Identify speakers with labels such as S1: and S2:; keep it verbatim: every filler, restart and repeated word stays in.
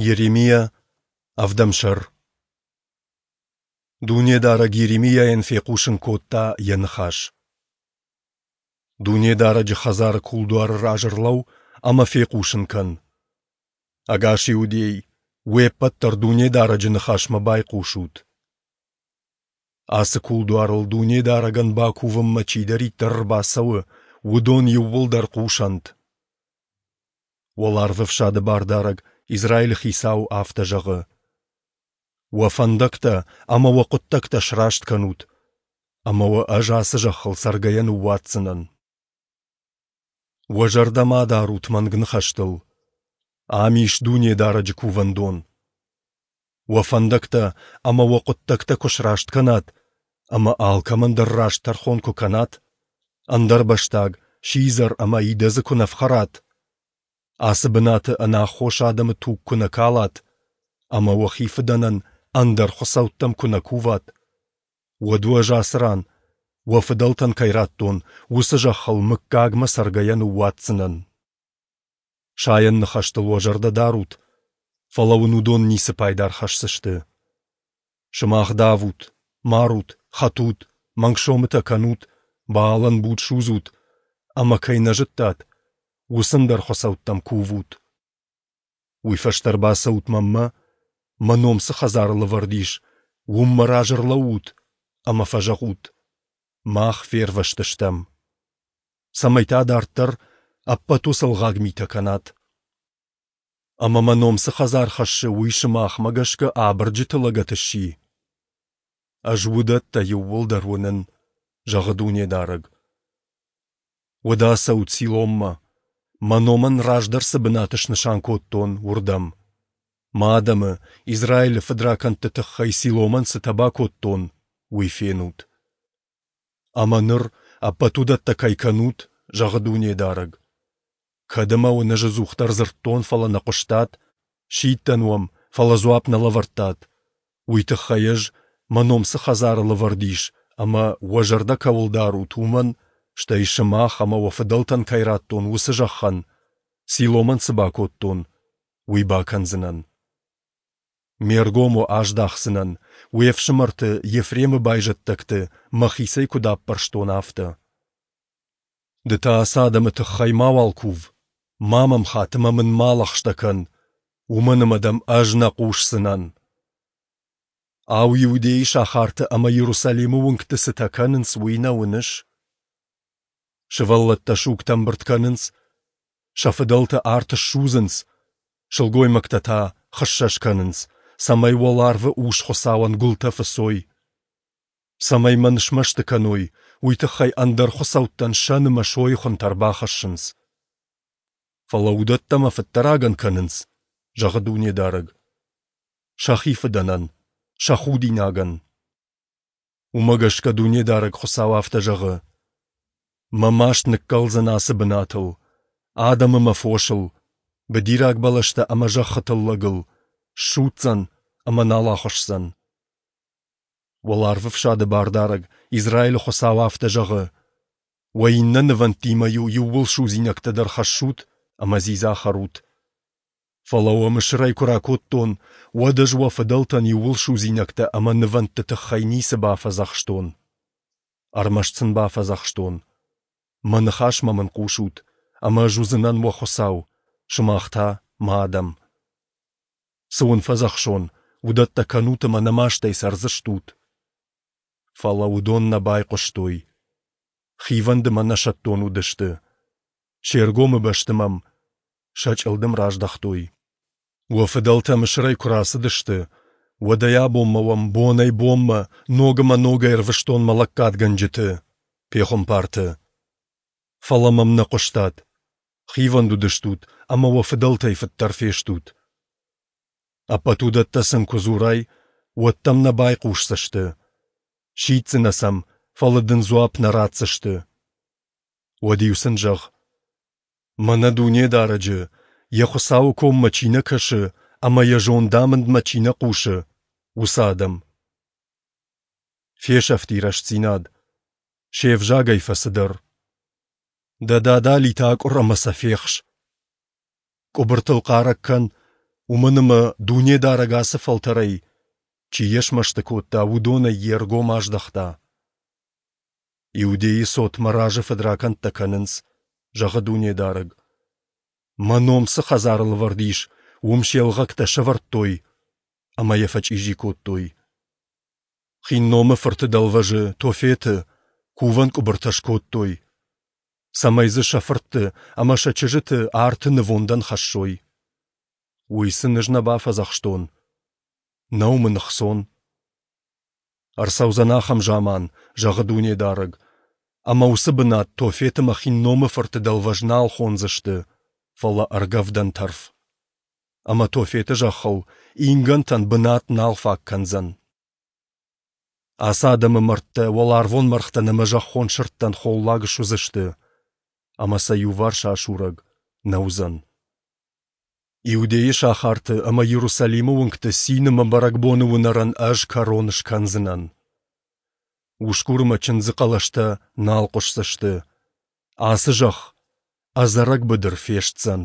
S1: Йеремиа, ӕвдӕм сӕр. Дунедарӕг Йеремиайӕн фехъусын кодта Йӕ ныхас. Дунедарӕджы хӕдзары кулдуары раз ӕрлӕуу ӕмӕ фехъусын кӕн: Ӕгас Иудей, уе ппӕт дӕр Дунедарӕджы ныхасмӕ байхъусут! Ацы кулдуарыл Дунедарӕгӕн бакувынмӕ чидӕриддӕр ӕрбацӕуы, уыдон иууылдӕр хъусӕнт. Уӕларвӕфсады Бардарӕг, Израилы Хицау, афтӕ зӕгъы: Уӕ фӕндӕгтӕ ӕмӕ уӕ хъуыддӕгтӕ сраст кӕнут, ӕмӕ уӕ Ӕз ацы зӕххыл цӕргӕйӕ ныууадздзынӕн. Уӕ зӕрдӕ ма дарут мӕнг ныхӕстыл. Ам ис Дунедарӕджы кувӕндон. Уӕ фӕндӕгтӕ ӕмӕ уӕ хъуыддӕгтӕ куы сраст кӕнат ӕмӕ алкӕмӕн дӕр раст тӕрхон куы кӕнат, ӕндӕрбӕстаг, сидзӕр ӕмӕ идӕдзы куы нӕ фхӕрат, ацы бынаты ӕнаххос адӕмы туг куы нӕ калат ӕмӕ уӕхи фыдӕнӕн ӕндӕр хуыцӕуттӕм куы нӕ куват, уӕд уӕ ӕз ацы ран, уӕ фыдӕлтӕн кӕй радтон, уыцы зӕххыл мыггагмӕ цӕргӕйӕ ныууадздзынӕн. Сайӕн ныхӕстыл уӕ зӕрдӕ дарут, фӕлӕ уын уыдон ницы пайда ӕрхӕсдзысты. Сымах давут, марут, хӕтут, мӕнг сомытӕ кӕнут, Баалӕн буд судзут, ӕмӕ кӕй нӕ зыдтат, уыцы ӕндӕр хуыцӕуттӕм кувут. Уый фӕстӕ ӕрбацӕут мӕнмӕ, мӕ ном цы хӕдзары лӕвӕрд ис, уым мӕ разы ӕрлӕуут ӕмӕ фӕзӕгъут: «Мах фервӕзтыстӕм». Цӕмӕй та дарддӕр ӕппӕт уыцы ӕлгъаг митӕ кӕнат. Ӕмӕ мӕ ном цы хӕдзар хӕссы, уый сымахмӕ гӕсгӕ абырджыты лӕгӕт сси? Ӕз уыдӕттӕ иууылдӕр уынын, зӕгъы Дунедарӕг. Уӕдӕ ацӕут Силоммӕ, мӕ номӕн раздӕр цы бынат снысан кодтон, уырдӕм. Мӕ адӕмы, Израилы фыдракӕндты тыххӕй Силомӕн цытӕ бакодтон, уый фенут. Ӕмӕ ныр ӕппӕт уыдӕттӕ кӕй кӕнут, зӕгъы Дунедарӕг, кӕд ӕмӕ уын ӕз ӕдзухдӕр дзырдтон, фӕлӕ нӕ хъуыстат, сидтӕн уӕм, фӕлӕ дзуапп нӕ лӕвӕрдтат, уый тыххӕй ӕз, мӕ ном цы хӕдзары лӕвӕрд ис ӕмӕ уӕ зӕрдӕ кӕуыл дарут, уымӕн, стӕй сымах ӕмӕ уӕ фыдӕлтӕн кӕй радтон, уыцы зӕххӕн, Силомӕн цы бакодтон, уый бакӕндзынӕн. Ме ргом уӕ аздахдзынӕн, уе фсымӕрты Ефремы байзӕддӕгты мӕхицӕй куыд аппӕрстон, афтӕ. Ды та ацы адӕмы тыххӕй мауал кув, ма мӕм хат ӕмӕ мын ма лӕгъстӕ кӕн, уымӕн ӕмӕ дӕм ӕз нӕ хъусдзынӕн. Ау, Иудейы сахарты ӕмӕ Иерусалимы уынгты цытӕ кӕнынц, уый нӕ уыныс? Сывӕллӕттӕ сугтӕ ӕмбырд кӕнынц, сӕ фыдӕлтӕ арт ссудзынц, сылгоймӕгтӕ та хыссӕ скӕнынц, цӕмӕй уӕларвы ус-хуыцауӕн гуылтӕ фыцой. Цӕмӕй мӕн смӕсты кӕной, уый тыххӕй ӕндӕр хуыцӕуттӕн сӕн ӕмӕ сойы хуынтӕ ӕрбахӕссынц. Фӕлӕ уыдӕттӕ мӕ фыддӕрагӕн кӕнынц, зӕгъы Дунедарӕг. Сӕхи фыдӕнӕн, сӕ худинагӕн. Уымӕ гӕсгӕ Дунедарӕг Хуыцау афтӕ зӕгъы: Мӕ маст ныккӕлдзӕн ацы бынатыл, адӕм ӕмӕ фосыл, быдираг бӕлӕстӕ ӕмӕ зӕххы тыллӕгыл, ссудздзӕн ӕмӕ нал ахуысдзӕн. Уӕларвӕфсады Бардарӕг, Израилы Хуыцау афтӕ зӕгъы: Уӕ иннӕ нывӕндтимӕ-иу иууылсудзинӕгтӕ дӕр хӕссут ӕмӕ дзидза хӕрут. Фӕлӕ уӕ Мысырӕй куы ракодтон, уӕд ӕз уӕ фыдӕлтӕн иууылсудзинӕгтӕ ӕмӕ нывӕндты тыххӕй ницы бафӕдзӕхстон. Ӕрмӕст сын бафӕдзӕхстон: Мӕ ныхасмӕ мын хъусут, ӕмӕ ӕз уыдзынӕн уӕ Хуыцау, сымах та мӕ адӕм. Цы уын фӕдзӕхсон, уыдӕттӕ кӕнут ӕмӕ нӕ мастӕй цӕрдзыстут. Фӕлӕ уыдон нӕ байхъуыстой. Хивӕнд ӕмӕ нӕсӕттон уыдысты. Се ргомы бӕсты мӕм сӕ чъылдым раздӕхтой. Уӕ фыдӕлтӕ Мысырӕй куы рацыдысты, уӕдӕй абонмӕ уӕм бонӕй-бонмӕ ног ӕмӕ ногӕй ӕрвыстон мӕ лӕггадгӕнджыты, пехуымпарты. Фӕлӕ мӕм нӕ хъуыстат, хивӕнд уыдыстут ӕмӕ уӕ фыдӕлтӕй фыддӕр фестут. Ӕппӕт уыдӕттӕ сын куы дзурай, уӕд дӕм нӕ байхъусдзысты. Сиддзынӕ сӕм, фӕлӕ дын дзуапп нӕ ратдзысты. Уӕд-иу сын зӕгъ: Мӕнӕ Дунедарӕджы, йӕ Хуыцауы коммӕ чи нӕ кӕсы ӕмӕ йӕ зондамындмӕ чи нӕ хъусы, уыцы адӕм. Фесӕфти рӕстдзинад, се взагӕй фӕцыдӕр. Дӕ дадалитӕ акъуыр ӕмӕ сӕ фехс. Къуыбыртыл хъарӕг кӕн, Уымӕн ӕмӕ Дунедарӕг ацы фӕлтӕрӕй, чи йӕ смӕсты кодта, уыдонӕй йе ргом аздӕхта. Иудейы цот мӕ разы фыдракӕндтӕ кӕнынц, зӕгъы Дунедарӕг. Мӕ ном цы хӕдзарыл ӕвӕрд ис, уым се лгъӕгтӕ сӕвӕрдтой ӕмӕ йӕ фӕчъизи кодтой. Хинномы фырты дӕлвӕзы, Тофеты, кувӕн къуыбыртӕ скодтой, цӕмӕй дзы сӕ фыртты ӕмӕ сӕ чызджыты арты нывондӕн хӕссой. Уый сын ӕз нӕ бафӕдзӕхстон. Нӕу мын ӕхцон. Ӕрцӕудзӕн ахӕм заман, зӕгъы Дунедарӕг, ӕмӕ уыцы бынат Тофет ӕмӕ Хинномы фырты дӕлвӕз нал хондзысты, фӕлӕ ӕргӕвдӕн тӕрф. Ӕмӕ Тофеты зӕххыл ингӕнтӕн бынат нал фаг кӕндзӕн. Ацы адӕмы мӕрдтӕ уӕларвон мӕргътӕн ӕмӕ зӕххон сырдтӕн холлаг суыдзысты, ӕмӕ сӕ иуварс асурӕг нӕ уыдзӕн. Иудейы сахарты ӕмӕ Иерусалимы уынгты цин ӕмӕ бӕрӕгбоны уынӕрӕн ӕз кӕрон скӕндзынӕн. Усгур ӕмӕ чындзы хъӕлӕстӕ нал хъуысдзысты. Ацы зӕхх ӕдзӕрӕг быдыр фестдзӕн.